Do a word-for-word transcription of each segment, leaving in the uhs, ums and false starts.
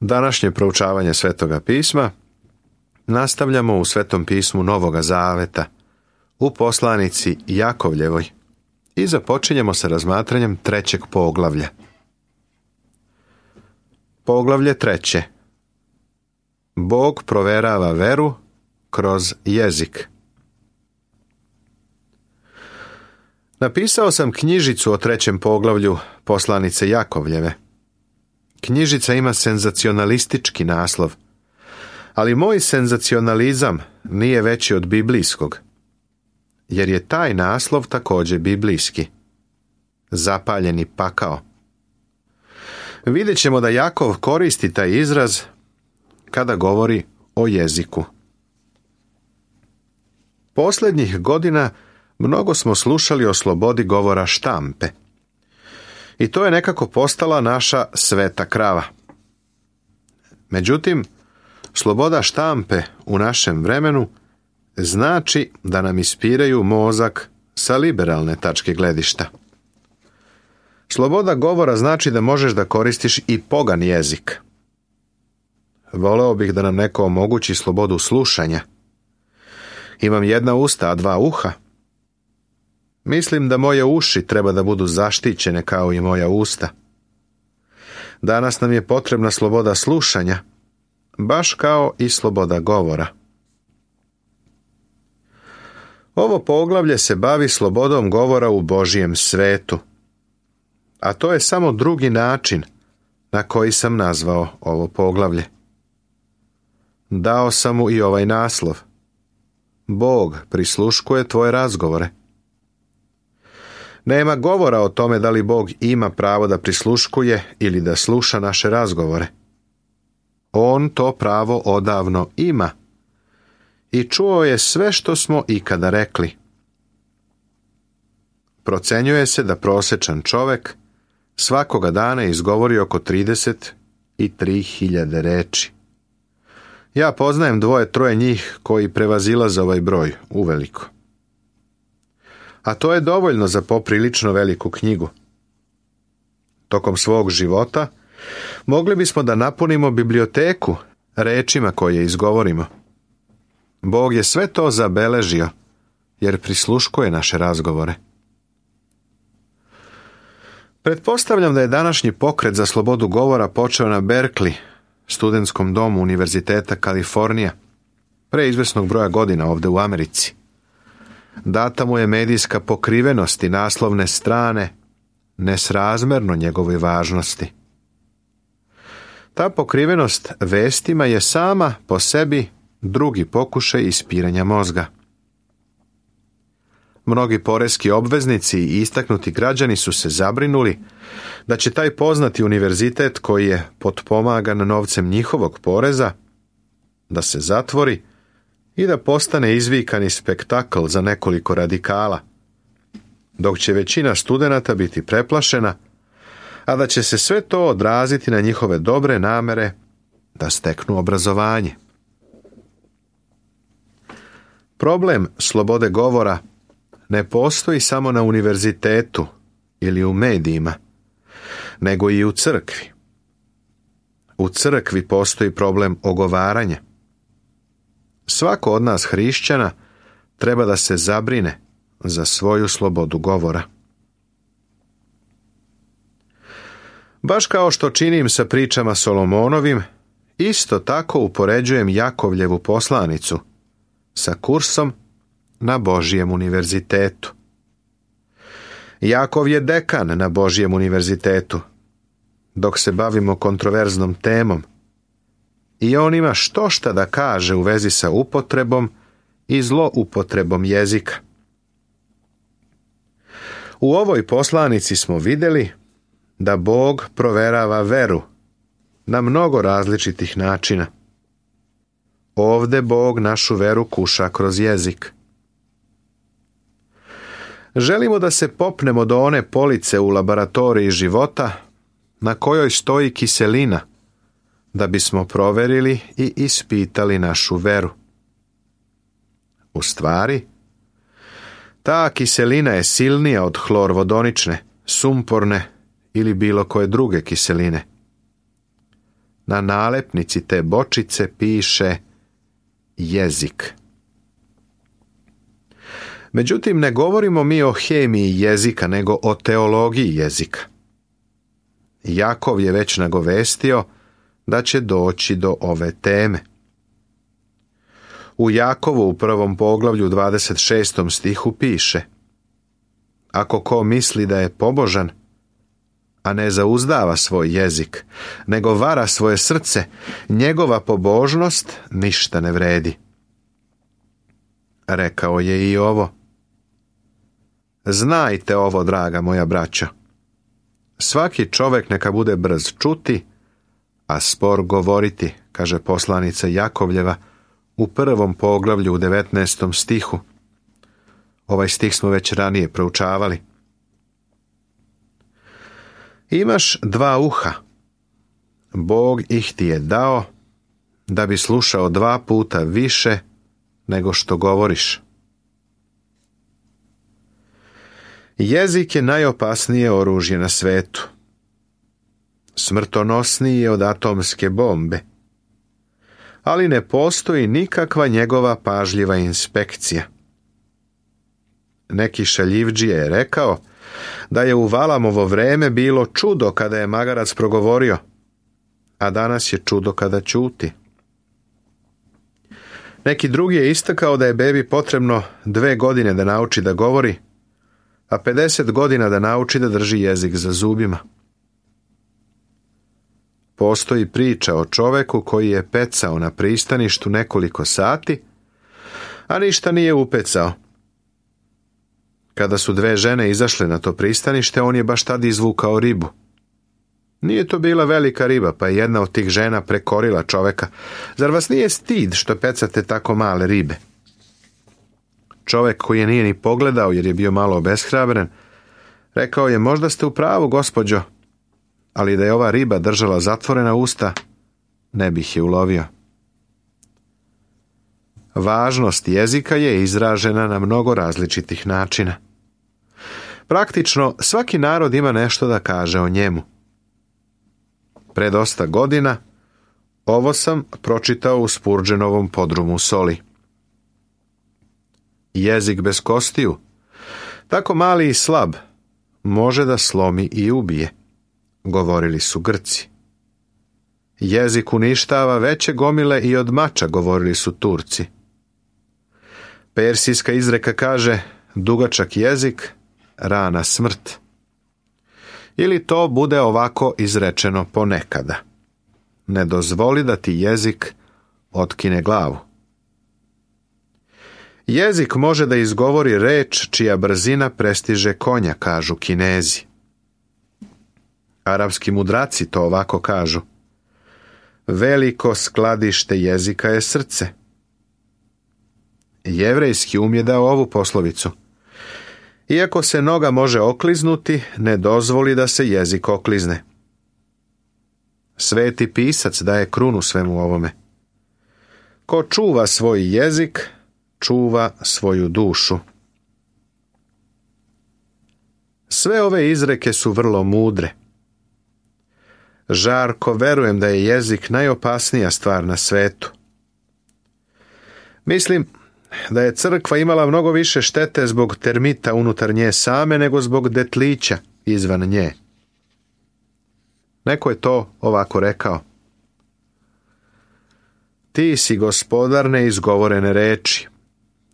Današnje proučavanje Svetoga pisma nastavljamo u Svetom pismu Novoga Zaveta, u poslanici Jakovljevoj, i započinjemo sa razmatranjem trećeg poglavlja. Poglavlje treće. Bog proverava veru kroz jezik. Napisao sam knjižicu o trećem poglavlju poslanice Jakovljeve. Knjižica ima senzacionalistički naslov, ali moj senzacionalizam nije veći od biblijskog, jer je taj naslov također biblijski. Zapaljeni pakao. Vidjet ćemo da Jakov koristi taj izraz kada govori o jeziku. Posljednjih godina mnogo smo slušali o slobodi govora štampe. I to je nekako postala naša sveta krava. Međutim, sloboda štampe u našem vremenu znači da nam ispiraju mozak sa liberalne tačke gledišta. Sloboda govora znači da možeš da koristiš i pogan jezik. Voleo bih da nam neko omogući slobodu slušanja. Imam jedna usta, a dva uha. Mislim da moje uši treba da budu zaštićene kao i moja usta. Danas nam je potrebna sloboda slušanja, baš kao i sloboda govora. Ovo poglavlje se bavi slobodom govora u Božjem svetu, a to je samo drugi način na koji sam nazvao ovo poglavlje. Dao sam mu i ovaj naslov. Bog prisluškuje tvoje razgovore. Nema govora o tome da li Bog ima pravo da prisluškuje ili da sluša naše razgovore. On to pravo odavno ima i čuo je sve što smo ikada rekli. Procenjuje se da prosječan čovjek svakoga dana izgovori oko trideset tri hiljade reči. Ja poznajem dvoje, troje njih koji prevazilaze ovaj broj uveliko. A to je dovoljno za poprilično veliku knjigu. Tokom svog života mogli bismo da napunimo biblioteku rečima koje izgovorimo. Bog je sve to zabeležio, jer prisluškuje naše razgovore. Pretpostavljam da je današnji pokret za slobodu govora počeo na Berkeley, studentskom domu Univerziteta Kalifornija, pre izvesnog broja godina ovdje u Americi. Data mu je medijska pokrivenost i naslovne strane nesrazmerno njegovoj važnosti. Ta pokrivenost vestima je sama po sebi drugi pokušaj ispiranja mozga. Mnogi poreski obveznici i istaknuti građani su se zabrinuli da će taj poznati univerzitet koji je potpomagan novcem njihovog poreza da se zatvori i da postane izvikani spektakl za nekoliko radikala, dok će većina studenata biti preplašena, a da će se sve to odraziti na njihove dobre namere da steknu obrazovanje. Problem slobode govora ne postoji samo na univerzitetu ili u medijima, nego i u crkvi. U crkvi postoji problem ogovaranja. Svako od nas hrišćana treba da se zabrine za svoju slobodu govora. Baš kao što činim sa pričama Solomonovim, isto tako upoređujem Jakovljevu poslanicu sa kursom na Božjem univerzitetu. Jakov je dekan na Božjem univerzitetu, dok se bavimo kontroverznom temom, i on ima što šta da kaže u vezi sa upotrebom i zloupotrebom jezika. U ovoj poslanici smo vidjeli da Bog proverava veru na mnogo različitih načina. Ovde Bog našu veru kuša kroz jezik. Želimo da se popnemo do one police u laboratoriji života na kojoj stoji kiselina, da bismo proverili i ispitali našu veru. U stvari, ta kiselina je silnija od hlorvodonične, sumporne ili bilo koje druge kiseline. Na nalepnici te bočice piše jezik. Međutim, ne govorimo mi o hemiji jezika, nego o teologiji jezika. Jakov je već nagovestio da će doći do ove teme. U Jakovu u prvom poglavlju dvadeset šestom stihu piše: ako ko misli da je pobožan, a ne zauzdava svoj jezik, nego vara svoje srce, njegova pobožnost ništa ne vredi. Rekao je i ovo: znajte ovo, draga moja braćo, svaki čovjek neka bude brz čuti, a spor govoriti, kaže poslanica Jakovljeva u prvom poglavlju u devetnaestom stihu. Ovaj stih smo već ranije proučavali. Imaš dva uha, Bog ih ti je dao da bi slušao dva puta više nego što govoriš. Jezik je najopasnije oružje na svetu. Smrtonosniji je od atomske bombe. Ali ne postoji nikakva njegova pažljiva inspekcija. Neki šaljivdžija je rekao da je u Valamovo vreme bilo čudo kada je magarac progovorio, a danas je čudo kada ćuti. Neki drugi je istakao da je bebi potrebno dve godine da nauči da govori, a pedeset godina da nauči da drži jezik za zubima. Postoji priča o čoveku koji je pecao na pristaništu nekoliko sati, a ništa nije upecao. Kada su dve žene izašle na to pristanište, on je baš tad izvukao ribu. Nije to bila velika riba, pa je jedna od tih žena prekorila čoveka. Zar vas nije stid što pecate tako male ribe? Čovek koji je nije ni pogledao jer je bio malo obeshrabren, rekao je: možda ste u pravu, gospođo, ali da je ova riba držala zatvorena usta, ne bih je ulovio. Važnost jezika je izražena na mnogo različitih načina. Praktično, svaki narod ima nešto da kaže o njemu. Pre dosta godina ovo sam pročitao u Spurgeonovom podrumu soli. Jezik bez kostiju, tako mali i slab, može da slomi i ubije, govorili su Grci. Jezik uništava veće gomile i od mača, govorili su Turci. Persijska izreka kaže: dugačak jezik, rana smrt. Ili to bude ovako izrečeno ponekada: ne dozvoli da ti jezik otkine glavu. Jezik može da izgovori reč čija brzina prestiže konja, kažu Kinezi. Arapski mudraci to ovako kažu: veliko skladište jezika je srce. Jevrejski um je dao ovu poslovicu: iako se noga može okliznuti, ne dozvoli da se jezik oklizne. Sveti pisac daje krunu svemu ovome: ko čuva svoj jezik, čuva svoju dušu. Sve ove izreke su vrlo mudre. Žarko verujem da je jezik najopasnija stvar na svetu. Mislim da je crkva imala mnogo više štete zbog termita unutar nje same nego zbog detlića izvan nje. Neko je to ovako rekao: ti si gospodar neizgovorene reči,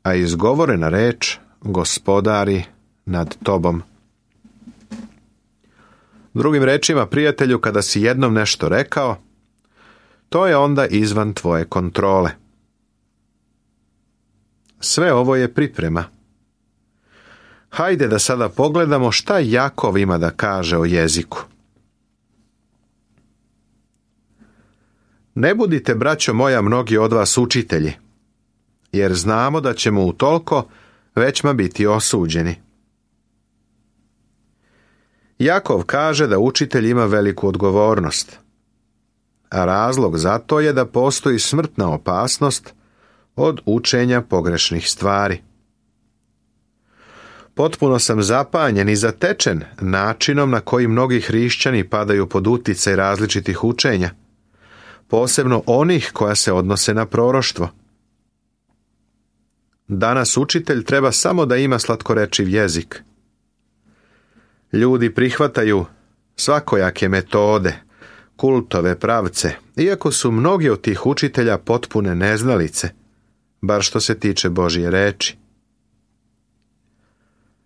a izgovorena reč gospodari nad tobom. Drugim rečima, prijatelju, kada si jednom nešto rekao, to je onda izvan tvoje kontrole. Sve ovo je priprema. Hajde da sada pogledamo šta Jakov ima da kaže o jeziku. Ne budite, braćo moja, mnogi od vas učitelji, jer znamo da ćemo utoliko većma biti osuđeni. Jakov kaže da učitelj ima veliku odgovornost, a razlog za to je da postoji smrtna opasnost od učenja pogrešnih stvari. Potpuno sam zapanjen i zatečen načinom na koji mnogi hrišćani padaju pod uticaj različitih učenja, posebno onih koja se odnose na proroštvo. Danas učitelj treba samo da ima slatkorečiv jezik. Ljudi prihvataju svakojake metode, kultove pravce, iako su mnogi od tih učitelja potpune neznalice, bar što se tiče Božje reči.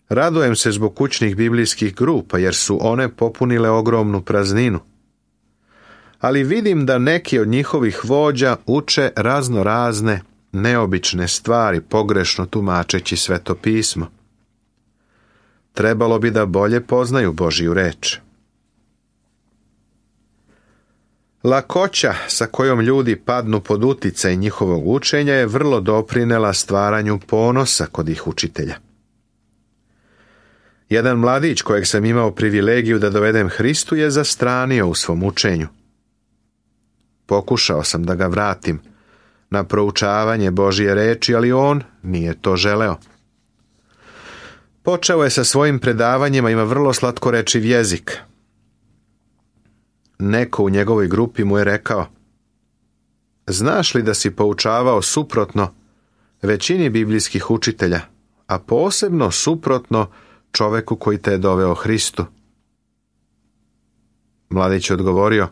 Radujem se zbog kućnih biblijskih grupa, jer su one popunile ogromnu prazninu. Ali vidim da neki od njihovih vođa uče razno razne, neobične stvari, pogrešno tumačeći Sveto pismo. Trebalo bi da bolje poznaju Božju reč. Lakoća sa kojom ljudi padnu pod uticaj njihovog učenja je vrlo doprinela stvaranju ponosa kod ih učitelja. Jedan mladić kojeg sam imao privilegiju da dovedem Hristu je zastranio u svom učenju. Pokušao sam da ga vratim na proučavanje Božje reči, ali on nije to želeo. Počeo je sa svojim predavanjima, ima vrlo slatkorečiv jezik. Neko u njegovoj grupi mu je rekao: znaš li da si poučavao suprotno većini biblijskih učitelja, a posebno suprotno čoveku koji te je doveo Hristu? Mladić je odgovorio: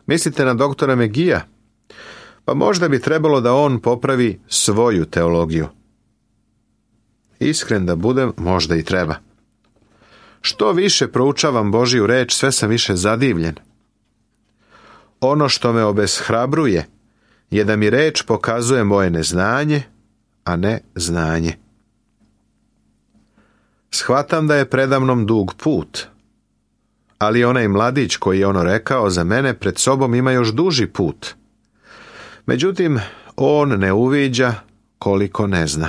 mislite na doktora Megija? Pa možda bi trebalo da on popravi svoju teologiju. Iskren da budem, možda i treba. Što više proučavam Božju reč, sve sam više zadivljen. Ono što me obeshrabruje je da mi reč pokazuje moje neznanje, a ne znanje. Shvatam da je predamnom dug put, ali onaj mladić koji je ono rekao za mene pred sobom ima još duži put. Međutim, on ne uviđa koliko ne zna.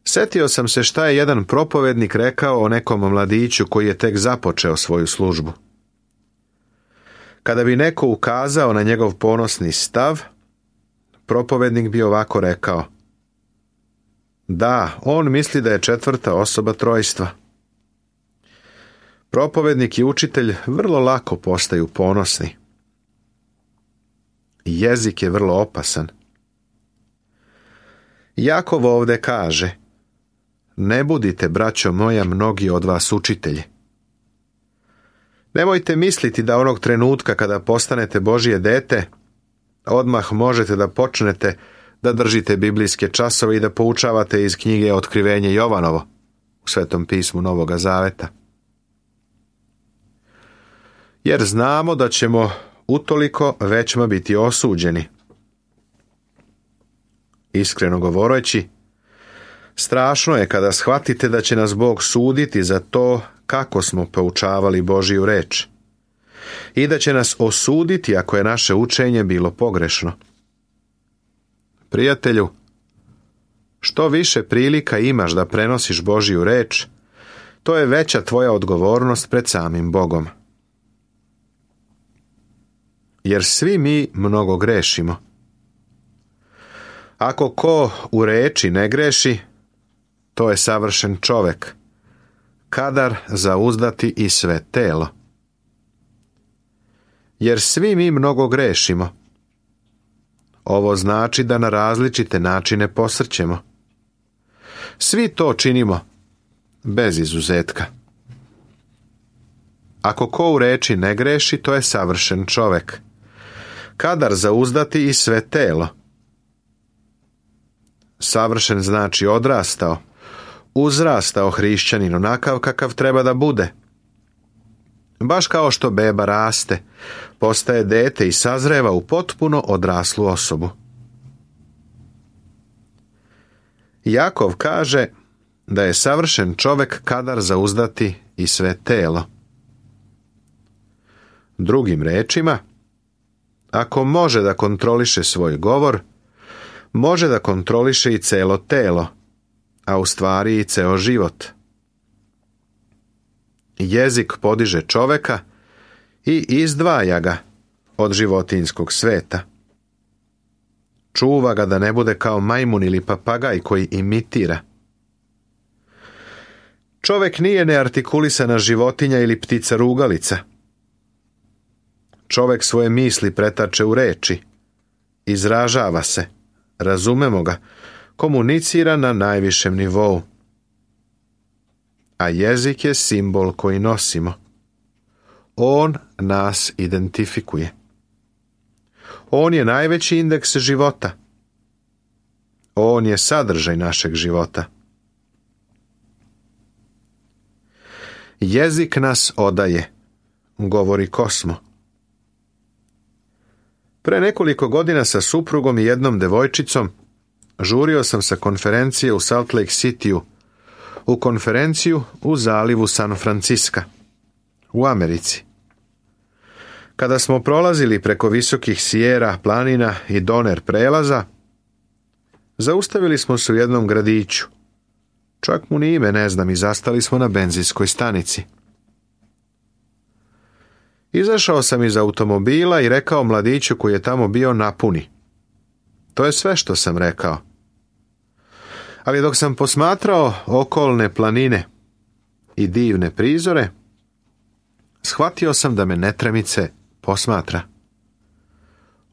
Setio sam se šta je jedan propovednik rekao o nekom mladiću koji je tek započeo svoju službu. Kada bi neko ukazao na njegov ponosni stav, propovednik bi ovako rekao: da, on misli da je četvrta osoba trojstva. Propovednik i učitelj vrlo lako postaju ponosni. Jezik je vrlo opasan. Jakov ovde kaže: ne budite, braćo moja, mnogi od vas učitelji. Nemojte misliti da onog trenutka kada postanete Božje dete, odmah možete da počnete da držite biblijske časove i da poučavate iz knjige Otkrivenje Jovanovo u Svetom pismu Novoga Zaveta. Jer znamo da ćemo utoliko većma biti osuđeni. Iskreno govoreći, strašno je kada shvatite da će nas Bog suditi za to kako smo poučavali Božju reč i da će nas osuditi ako je naše učenje bilo pogrešno. Prijatelju, što više prilika imaš da prenosiš Božju reč, to je veća tvoja odgovornost pred samim Bogom. Jer svi mi mnogo grešimo. Ako ko u reči ne greši, to je savršen čovek, kadar zauzdati i sve telo. Jer svi mi mnogo grešimo. Ovo znači da na različite načine posrćemo. Svi to činimo, bez izuzetka. Ako ko u reči ne greši, to je savršen čovek, kadar zauzdati i sve telo. Savršen znači odrastao, uzrastao hrišćanin onakav kakav treba da bude. Baš kao što beba raste, postaje dete i sazreva u potpuno odraslu osobu. Jakov kaže da je savršen čovek kadar zauzdati i sve telo. Drugim rečima, ako može da kontroliše svoj govor, može da kontroliše i celo telo, a u stvari i ceo život. Jezik podiže čoveka i izdvaja ga od životinjskog sveta. Čuva ga da ne bude kao majmun ili papagaj koji imitira. Čovek nije neartikulisana životinja ili ptica rugalica. čovek svoje misli pretače u reči, izražava se, razumemo ga, komunicira na najvišem nivou. A jezik je simbol koji nosimo. On nas identifikuje. On je najveći indeks života. On je sadržaj našeg života. Jezik nas odaje, govori Kosmo. Pre nekoliko godina sa suprugom i jednom devojčicom žurio sam sa konferencije u Salt Lake Cityu u konferenciju u zalivu San Francisca, u Americi. Kada smo prolazili preko visokih Sierra planina i Donner prelaza, zaustavili smo se u jednom gradiću. Čak mu ni ime ne znam i zastali smo na benzinskoj stanici. Izašao sam iz automobila i rekao mladiću koji je tamo bio napuni. To je sve što sam rekao. Ali dok sam posmatrao okolne planine i divne prizore, shvatio sam da me netremice posmatra.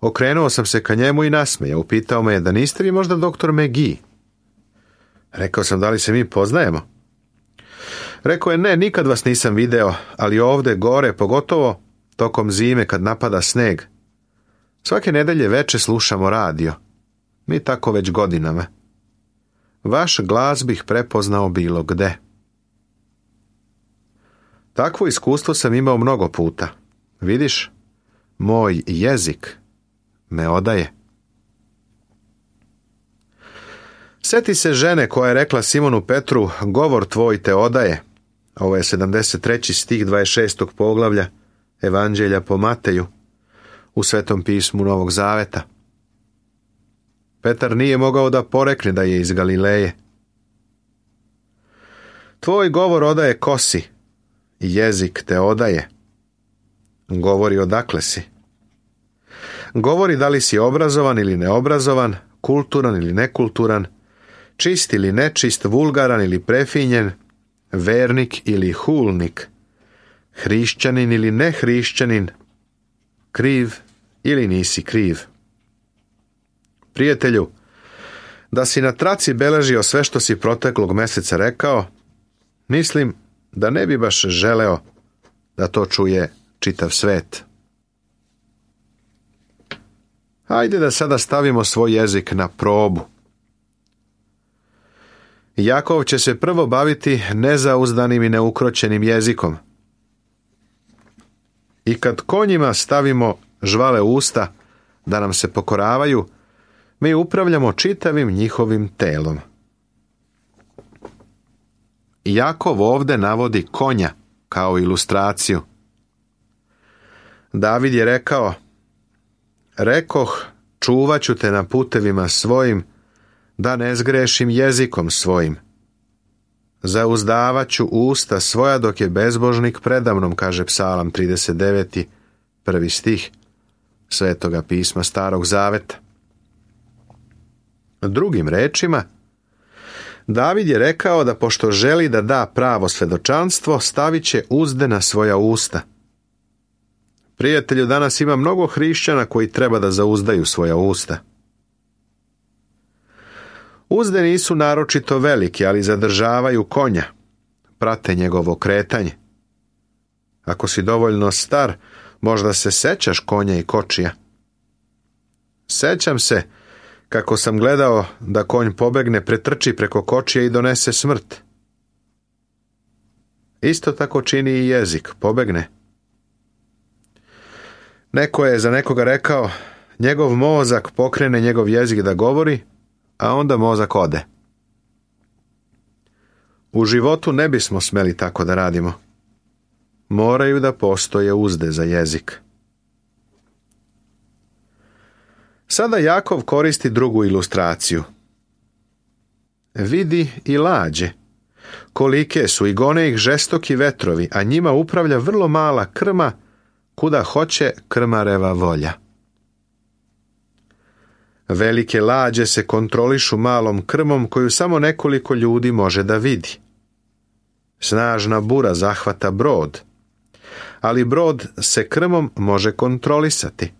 Okrenuo sam se ka njemu i nasmejao. Upitao me je da niste vi možda doktor McGee. Rekao sam da li se mi poznajemo. Rekao je ne, nikad vas nisam video, ali ovde gore, pogotovo tokom zime kad napada sneg. Svake nedelje veče slušamo radio. Mi tako već godinama. Vaš glas bih prepoznao bilo gde. Takvo iskustvo sam imao mnogo puta. Vidiš, moj jezik me odaje. Sjeti se žene koja je rekla Simonu Petru, govor tvoj te odaje. Ovo je sedamdeset treći stih dvadeset šestog poglavlja Evanđelja po Mateju u Svetom pismu Novog Zaveta. Petar nije mogao da porekne da je iz Galileje. Tvoj govor odaje ko si, jezik te odaje. Govori odakle si. Govori da li si obrazovan ili neobrazovan, kulturan ili nekulturan, čist ili nečist, vulgaran ili prefinjen, vernik ili hulnik, hrišćanin ili nehrišćanin, kriv ili nisi kriv. Prijatelju, da si na traci beležio sve što si proteklog meseca rekao, mislim da ne bi baš želeo da to čuje čitav svet. Hajde da sada stavimo svoj jezik na probu. Jakov će se prvo baviti nezauzdanim i neukroćenim jezikom. I kad konjima stavimo žvale usta da nam se pokoravaju, mi upravljamo čitavim njihovim telom. Jakov ovde navodi konja kao ilustraciju. David je rekao, rekoh, čuvat ću te na putevima svojim, da ne zgrešim jezikom svojim. Zauzdavat ću usta svoja dok je bezbožnik predamnom, kaže Psalam trideset deveti, prvi stih Svetoga pisma Starog Zaveta. Drugim rečima, David je rekao da pošto želi da da pravo svedočanstvo, stavit će uzde na svoja usta. Prijatelju, danas ima mnogo hrišćana koji treba da zauzdaju svoja usta. Uzde nisu naročito velike, ali zadržavaju konja, prate njegovo kretanje. Ako si dovoljno star, možda se sećaš konja i kočija. Sećam se kako sam gledao da konj pobegne, pretrči preko kočija i donese smrt. Isto tako čini i jezik, pobegne. Neko je za nekoga rekao, njegov mozak pokrene njegov jezik da govori, a onda mozak ode. U životu ne bismo smeli tako da radimo. Moraju da postoje uzde za jezik. Sada Jakov koristi drugu ilustraciju. Vidi i lađe. Kolike su i gone ih žestoki vetrovi, a njima upravlja vrlo mala krma, kuda hoće krmareva volja. Velike lađe se kontrolišu malom krmom koju samo nekoliko ljudi može da vidi. Snažna bura zahvata brod. ali brod se krmom može kontrolisati.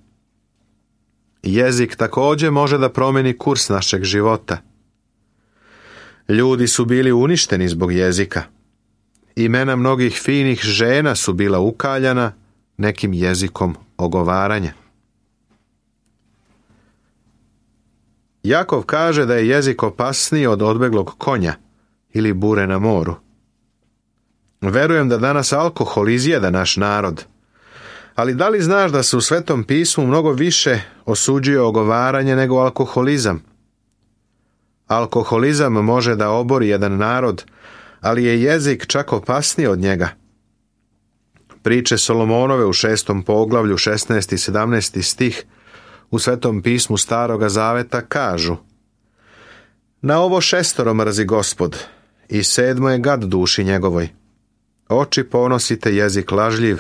Jezik također može da promijeni kurs našeg života. Ljudi su bili uništeni zbog jezika. Imena mnogih finih žena su bila ukaljana nekim jezikom ogovaranja. Jakov kaže da je jezik opasniji od odbeglog konja ili bure na moru. Verujem da danas alkohol izjeda naš narod, ali da li znaš da se u Svetom pismu mnogo više osuđuje ogovaranje nego alkoholizam? Alkoholizam može da obori jedan narod, ali je jezik čak opasniji od njega. Priče Solomonove u šestom poglavlju, šesnaesti i sedamnaesti stih u Svetom pismu Staroga Zaveta kažu: Na ovo šestoro mrzi Gospod, i sedmo je gad duši njegovoj. Oči ponosite, jezik lažljiv,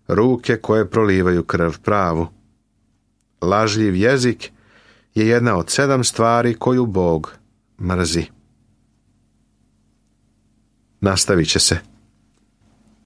ruke koje prolivaju krv pravu. Lažljiv jezik je jedna od sedam stvari koju Bog mrzi. Nastavit će se.